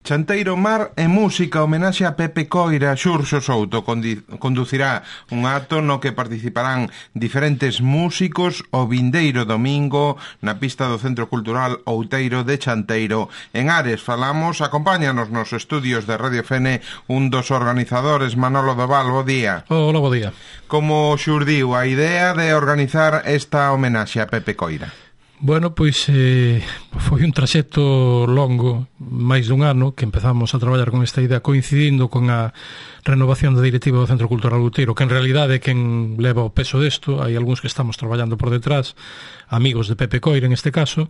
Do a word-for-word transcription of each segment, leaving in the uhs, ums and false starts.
Chanteiro, Mar e Música, homenaxe a Pepe Coira. Xurxo Souto conducirá un acto no que participarán diferentes músicos o vindeiro domingo na pista do Centro Cultural Outeiro de Chanteiro en Ares. Falamos, acompáñanos nos estudios de Radio Fene un dos organizadores, Manolo Doval. Bo día. Hola, bo día. Como xurdiu a idea de organizar esta homenaxe a Pepe Coira? Bueno, pois eh, foi un traxecto longo, máis dun ano, que empezamos a traballar con esta idea coincidindo con a renovación da directiva do Centro Cultural Outeiro, que en realidade é quen leva o peso desto. Hai algúns que estamos traballando por detrás, amigos de Pepe Coira en este caso,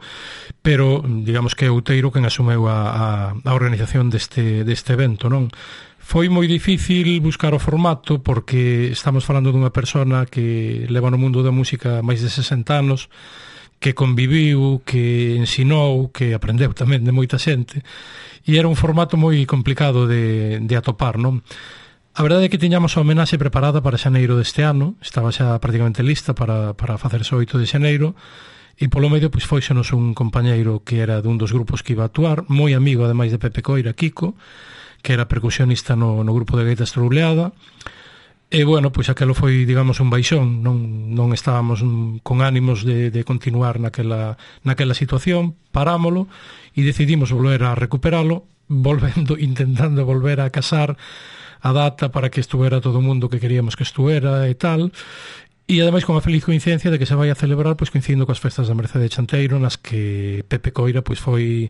pero digamos que é Outeiro quen asumeu a, a, a organización deste, deste evento, non? Foi moi difícil buscar o formato porque estamos falando dunha persona que leva no mundo da música máis de sesenta anos, que conviviu, que ensinou, que aprendeu tamén de moita xente, e era un formato moi complicado de, de atopar, non? A verdade é que tiñamos a homenaxe preparada para xaneiro deste ano, estaba xa prácticamente lista para, para facerse o oito de xaneiro, e polo medio pois fóixonos un compañeiro que era dun dos grupos que iba a actuar, moi amigo ademais de Pepe Coira, Kiko, que era percusionista no, no grupo de gaita estrouleada. E, bueno, pois aquelo foi, digamos, un baixón, non, non estábamos con ánimos de, de continuar naquela, naquela situación, parámolo e decidimos volver a recuperalo, volvendo, intentando volver a casar a data para que estuera todo o mundo que queríamos que estuera e tal, e ademais con a feliz coincidencia de que se vai a celebrar pois coincidindo coas festas da Mercede de Chanteiro, nas que Pepe Coira pois foi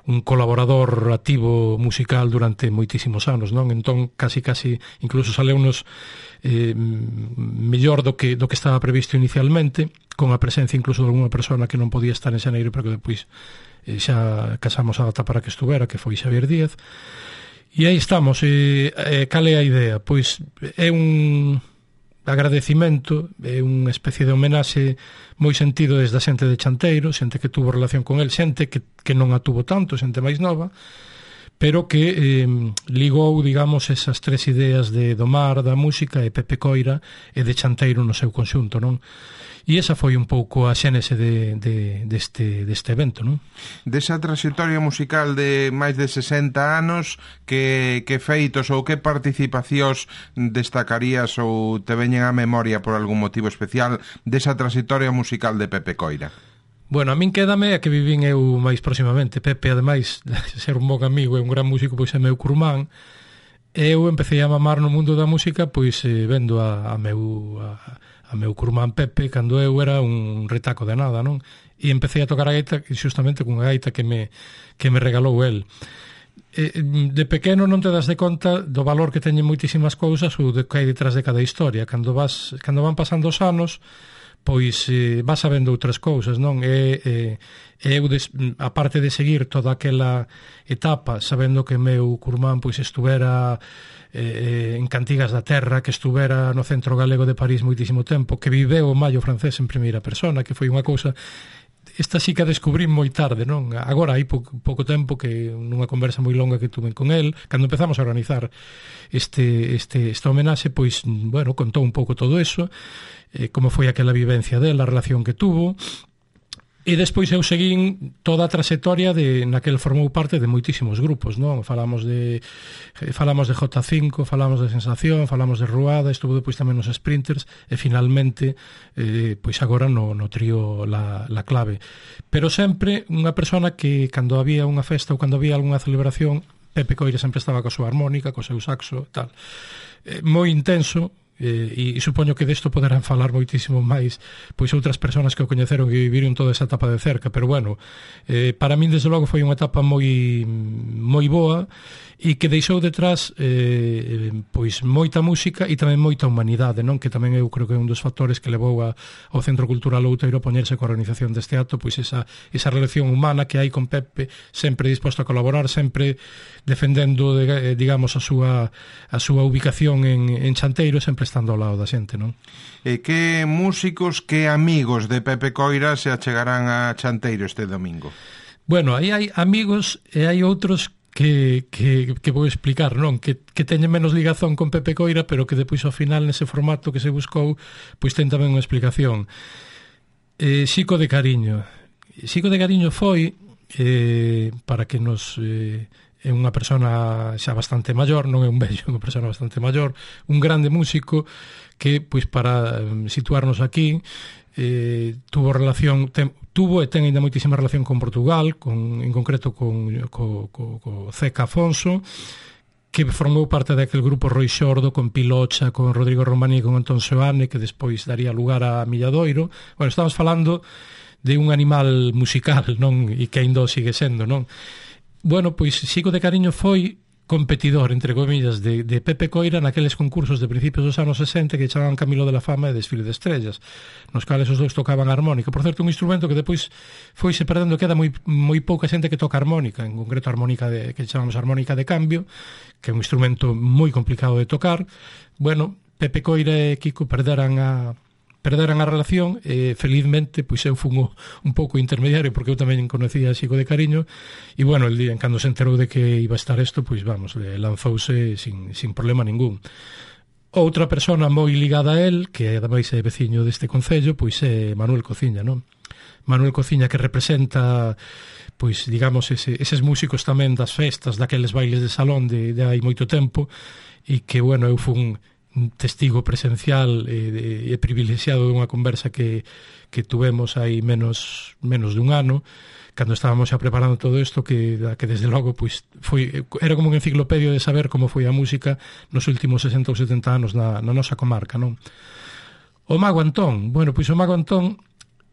un colaborador activo musical durante moitísimos anos, non? Entón, casi casi incluso saleunos eh, mellor do que do que estaba previsto inicialmente, con a presencia incluso de alguna persona que non podía estar en xaneiro, pero que depois eh, xa casamos a data para que estuvera, que foi Xavier Díaz. E aí estamos. E, eh, cal é a idea? Pois é un agradecimento, é unha especie de homenaxe moi sentido desde a xente de Chanteiro, xente que tuvo relación con el, xente que, que non a tuvo tanto, xente máis nova, pero que eh, ligou, digamos, esas tres ideas de do mar, da música e Pepe Coira e de Chanteiro no seu conxunto, non? E esa foi un pouco a xénese de, de, deste, deste evento, non? Desa trayectoria musical de máis de sesenta anos, que, que feitos ou que participacións destacarías ou te veñen á memoria por algún motivo especial desa trayectoria musical de Pepe Coira? Bueno, a min quédame a que vivín eu máis próximamente. Pepe, ademais, de ser un bon amigo e un gran músico, pois é meu curmán. Eu empecé a mamar no mundo da música pois eh, vendo a, a meu a, a meu curmán Pepe cando eu era un retaco de nada, non? E empecé a tocar a gaita xustamente cunha gaita que me, que me regalou el. Eh, de pequeno non te das de conta do valor que teñen moitísimas cousas ou de que hai detrás de cada historia. Cando vas cando van pasando os anos, pois eh, vas sabendo outras cousas, non? E, e, eu, des, a parte de seguir toda aquela etapa, sabendo que meu curmán pois estuvera eh, en Cantigas da Terra, que estuvera no Centro Galego de París moitísimo tempo, que viveu o Mallo francés en primeira persona, que foi unha cousa... Esta sí que a descubrí moi tarde, non? Agora hai pouco, pouco tempo que nunha conversa moi longa que tuve con el, cando empezamos a organizar este, este, esta homenaxe, pois, bueno, contou un pouco todo eso, eh, como foi aquela vivencia dela, a relación que tuvo, e despois eu seguín toda a trayectoria de naquel formou parte de moitísimos grupos, non? Falamos de falamos de J cinco, falamos de Sensación, falamos de Ruada, estuvo depois tamén nos Sprinters e finalmente eh, pois agora no, no trío la, la Clave. Pero sempre unha persona que cando había unha festa ou cando había algunha celebración, Pepe Coira sempre estaba coa súa armónica, co seu saxo e tal. Eh, moi intenso. E, e supoño que desto poderán falar moitísimo máis pois outras persoas que o coñeceron e viviron toda esa etapa de cerca, pero bueno, eh, para min desde logo foi unha etapa moi moi boa e que deixou detrás eh, pois moita música e tamén moita humanidade, non? Que tamén eu creo que é un dos factores que levou a, ao Centro Cultural Outeiro a poñerse coa organización deste acto, pois esa, esa relación humana que hai con Pepe, sempre disposto a colaborar, sempre defendendo, de, digamos, a súa a súa ubicación en, en Chanteiro, sempre estando ao lado da xente, non? E que músicos, que amigos de Pepe Coira se achegarán a Chanteiro este domingo? Bueno, aí hai amigos e hai outros que, que, que vou explicar, non? Que, que teñen menos ligazón con Pepe Coira, pero que depois ao final nese formato que se buscou, pois ten tamén unha explicación. Eh, Xico de Cariño. Xico de Cariño foi, eh, para que nos... Eh, é unha persona xa bastante maior, non é un vello, é unha persona bastante maior, un grande músico que, pois, para situarnos aquí, eh, tuvo relación, ten, tuvo e ten ainda moitísima relación con Portugal, con, en concreto con co, co, co Zeca Afonso, que formou parte daquele grupo Roi Xordo, con Pilocha, con Rodrigo Romaní e con Antón Seoane, que despois daría lugar a Milladoiro. Bueno, estamos falando de un animal musical, non? E que ainda sigue sendo, non? Bueno, pois Xico de Cariño foi competidor, entre comillas, de, de Pepe Coira naqueles concursos de principios dos anos sesenta que chamaban Camilo de la Fama e Desfile de Estrellas, nos cales os dois tocaban a armónica. Por certo, un instrumento que depois foise perdendo, queda moi, moi pouca xente que toca armónica, en concreto a armónica de, que chamamos armónica de cambio, que é un instrumento moi complicado de tocar. Bueno, Pepe Coira e Kiko perderan a perderan a relación e felizmente pois eu fun o, un pouco intermediario porque eu tamén conocía a Xico de Cariño e bueno, el día en cando se enterou de que iba a estar isto, pois vamos, le lanzouse sin, sin problema ningún. Outra persona moi ligada a él, que ademais é veciño deste concello, pois é Manuel Cociña, non? Manuel Cociña, que representa, pois digamos, ese, eses músicos tamén das festas, daqueles bailes de salón de, de hai moito tempo, e que, bueno, eu fun un testigo presencial e, e privilexiado dunha conversa que, que tuvemos hai menos, menos dun ano, cando estábamos xa preparando todo isto, que, que desde logo pois, foi, era como un enciclopedio de saber como foi a música nos últimos sesenta ou setenta anos na, na nosa comarca, non? O Mago Antón, bueno, pois o Mago Antón,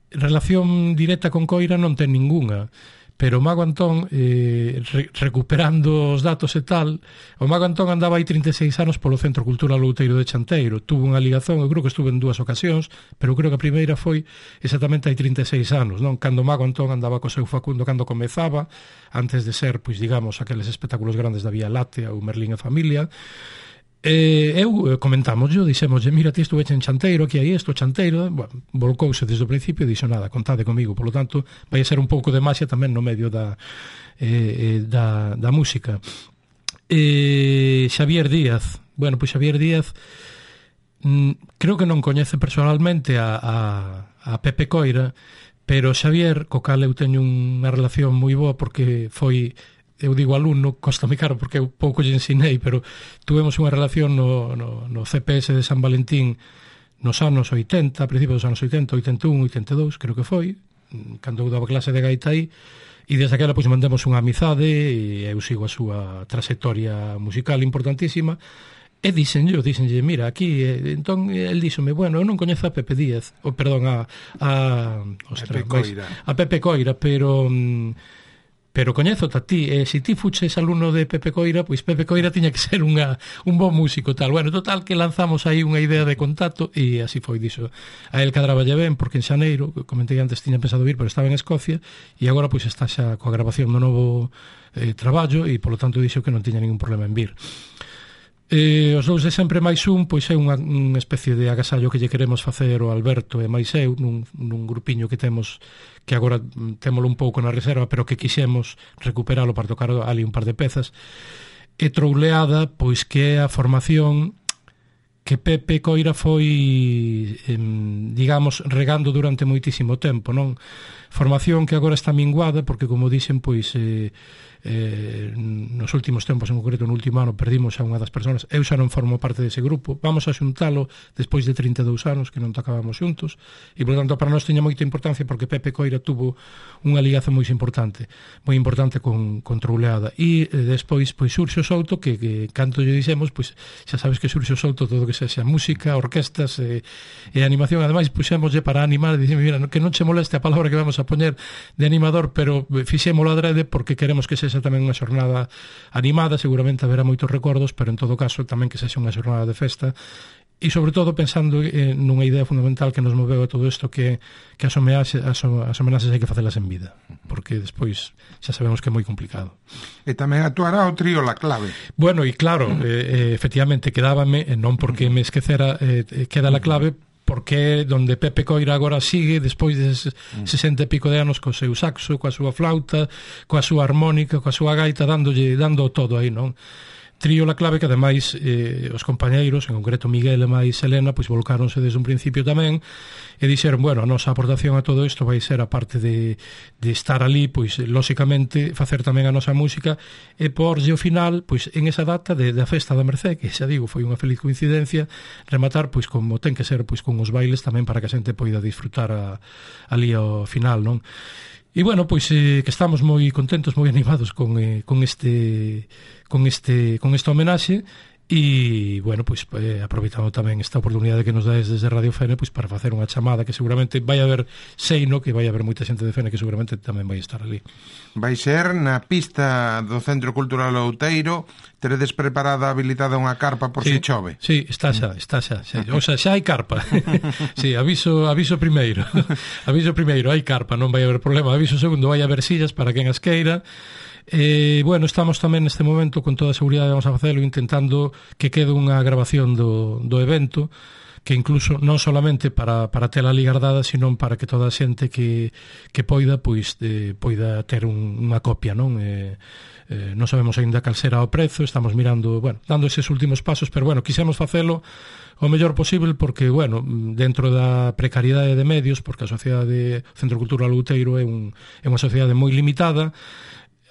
relación directa con Coira non ten ningunha, pero o Mago Antón, eh, re, recuperando os datos e tal, o Mago Antón andaba aí trinta e seis anos polo Centro Cultural Outeiro de Chanteiro, tuvo unha ligazón, eu creo que estuve en dúas ocasións, pero creo que a primeira foi exactamente hai trinta e seis anos, non? Cando o Mago Antón andaba co seu Facundo, cando comezaba, antes de ser, pois digamos, aqueles espectáculos grandes da Vía Láctea ou Merlín e Familia. Eh, eu comentamos, yo dixémoslle, mira, ti estuve en Chanteiro, aquí hai isto, Chanteiro, bueno, volcouse desde o principio e dixo nada, contade comigo, polo tanto vai a ser un pouco de maxia tamén no medio da, eh, da, da música. eh, Xavier Díaz, bueno, pois Xavier Díaz mm, creo que non coñece personalmente a, a, a Pepe Coira, pero Xavier, co cal eu teño unha relación moi boa porque foi, eu digo alumno, costame caro porque eu pouco lle ensinei, pero tuvemos unha relación no, no, no C P S de San Valentín nos anos oitenta, a principios dos anos oitenta, oitenta e un, oitenta e dous, creo que foi, cando eu daba clase de gaita aí, e desde aquela pois mantemos unha amizade e eu sigo a súa trayectoria musical importantísima. E dixenlle, dixenlle, mira, aquí, eh, entón, el díxome, bueno, eu non coñezo a Pepe Díaz, ou, perdón, a a, ostras, Pepe Coira. a Pepe Coira, pero pero coñezo a ti, e se ti fuches alumno de Pepe Coira, pois Pepe Coira tiña que ser unha, un bon músico, tal. Bueno, total, que lanzamos aí unha idea de contacto, e así foi, dixo. A el cadraballe ben, porque en xaneiro, comentei antes, tiña pensado vir, pero estaba en Escocia, e agora pois está xa coa grabación do novo eh, traballo, e polo tanto dixo que non tiña ningún problema en vir. Eh, os dous de sempre máis un, pois é unha, unha especie de agasallo que lle queremos facer o Alberto e máis eu nun, nun grupiño que temos, que agora témolo un pouco na reserva, pero que quixemos recuperalo para tocar ali un par de pezas. E Trouleada, pois que é a formación que Pepe Coira foi, eh, digamos, regando durante moitísimo tempo, non? Formación que agora está minguada porque, como dixen, pois eh, eh, nos últimos tempos, en concreto no último ano, perdimos a unha das persoas. Eu xa non formo parte dese grupo, vamos a xuntalo despois de trinta e dous anos que non tocábamos xuntos, e por tanto para nós teña moita importancia porque Pepe Coira tuvo unha ligaza moi importante moi importante con, con Trouleada, e eh, despois pois Xurxo Souto, que, que canto lle dixemos, pois xa sabes que Xurxo Souto todo que sexa música, orquestas e, e animación, ademais puxémoslle para animar, e dixemos, mira, que non che moleste a palabra que vamos a poñer de animador, pero fixémolo adrede porque queremos que sexa tamén unha xornada animada, seguramente haberá moitos recordos, pero en todo caso tamén que sexa unha xornada de festa, e sobre todo pensando eh, nunha idea fundamental que nos moveu a todo isto, que, que as, homenaxes, as, as homenaxes hai que facelas en vida, porque despois xa sabemos que é moi complicado. E tamén actuará o trío La Clave. Bueno, e claro, eh, eh, efectivamente quedábame, eh, non porque me esquecera, eh, queda La Clave, porque donde Pepe Coira agora sigue despois de sesenta e pico de anos co seu saxo, coa súa flauta, coa súa armónica, coa súa gaita, dándolle, dando todo aí, non? Trío La Clave, que ademais eh, os compañeiros, en concreto Miguel e máis Helena, pois volcáronse desde un principio tamén e dixeron, bueno, a nosa aportación a todo isto vai ser, a parte de, de estar ali, pois lóxicamente facer tamén a nosa música e porlle o final, pois en esa data de, da festa da Mercé, que xa digo, foi unha feliz coincidencia, rematar pois como ten que ser, pois con os bailes tamén para que a xente poida disfrutar a, ali ao final, non? E bueno, pois eh, que estamos moi contentos, moi animados con, eh, con este con este con esta homenaxe e, bueno, pois eh, aproveitando tamén esta oportunidade que nos dais desde Radio Fene pois para facer unha chamada que seguramente vai haber seino, que vai haber moita xente de Fene que seguramente tamén vai estar ali. Vai ser na pista do Centro Cultural Outeiro. Teredes preparada, habilitada unha carpa por sí, si chove? Sí, está xa, está xa, xa. O sea, xa hai carpa. Sí, aviso, aviso primeiro. Aviso primeiro, hai carpa, non vai haber problema. Aviso segundo, vai haber sillas para quen as queira. Eh, bueno, estamos tamén neste momento con toda a seguridade, vamos a facelo intentando que quede unha grabación do, do evento, que incluso non solamente para, para tela ali guardada, sino para que toda a xente que, que poida, pois, eh, poida ter un, unha copia, non? Eh, eh, non sabemos aínda cal será o prezo, estamos mirando, bueno, dando eses últimos pasos, pero bueno, quixemos facelo o mellor posible porque, bueno, dentro da precariedade de medios, porque a Sociedade Centro Cultural Outeiro é, un, é unha sociedade moi limitada.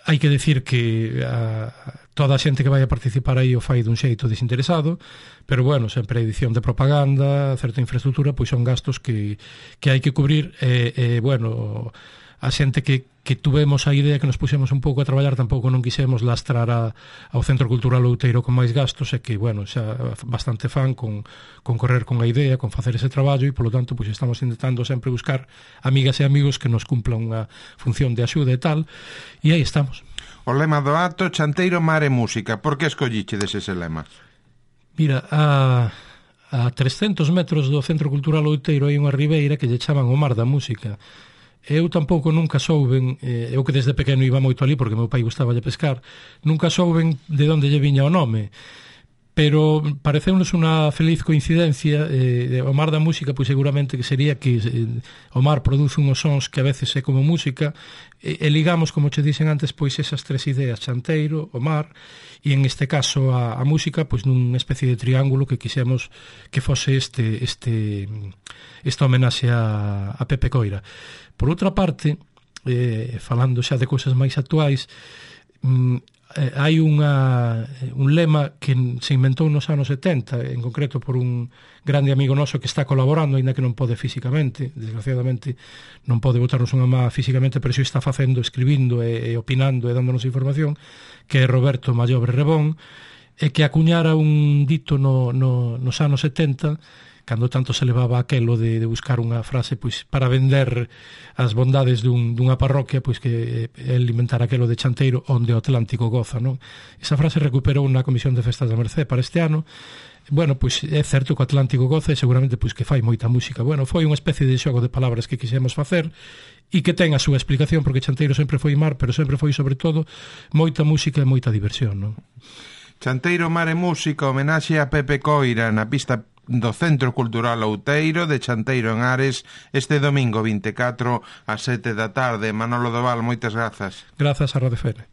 Hai que decir que a, toda a xente que vai a participar aí o fai dun xeito desinteresado, pero bueno, sempre a edición de propaganda, certa infraestructura, pois son gastos que, que hai que cubrir e, e bueno, a xente que, que tuvemos a idea que nos puxemos un pouco a traballar tampouco non quixemos lastrar a, ao Centro Cultural Outeiro con máis gastos e que, bueno, xa bastante fan con, con correr con a idea, con facer ese traballo e, polo tanto, pois estamos intentando sempre buscar amigas e amigos que nos cumplan unha función de axuda e tal, e aí estamos. O lema do acto, Chanteiro, Mar e Música. Por que escolliche ese lema? Mira, a, a trescentos metros do Centro Cultural Outeiro hai unha ribeira que lle chaman o Mar da Música. Eu tampouco nunca souben, eh, eu que desde pequeno iba moito ali porque meu pai gustaba de pescar, nunca souben de onde lle viña o nome, pero pareceunos unha feliz coincidencia. Eh, o Mar da Música, pois seguramente que sería que eh, o mar produce unhos sons que a veces é como música, e, e ligamos, como che dixen antes, pois esas tres ideas, chanteiro, o mar, e en este caso a, a música, pois nunha especie de triángulo que quixemos que fose este, este, esta homenaxe a, a Pepe Coira. Por outra parte, eh, falando xa de cousas máis actuais, mm, eh, hai unha, un lema que se inventou nos anos setenta, en concreto por un grande amigo noso que está colaborando, aínda que non pode físicamente, desgraciadamente non pode botarnos unha má físicamente, pero xo está facendo, escribindo e, e opinando e dándonos información, que é Roberto Mallobre Rebón, e que acuñara un dito no, no, nos anos setenta, cando tanto se levaba aquelo de, de buscar unha frase pois para vender as bondades dun, dunha parroquia, pois que el inventar aquelo de chanteiro onde o Atlántico goza, non? Esa frase recuperou na Comisión de Festas da Mercé para este ano. Bueno, pois é certo que o Atlántico goza e seguramente pois que fai moita música. Bueno, foi unha especie de xogo de palabras que quixemos facer e que ten a súa explicación, porque chanteiro sempre foi mar, pero sempre foi sobre todo moita música e moita diversión, non? Chanteiro, Mar e Música, homenaxe a Pepe Coira na pista do Centro Cultural Outeiro de Chanteiro en Ares este domingo vinte e catro ás sete da tarde. Manolo Doval, moitas grazas. Grazas a Radio Fene.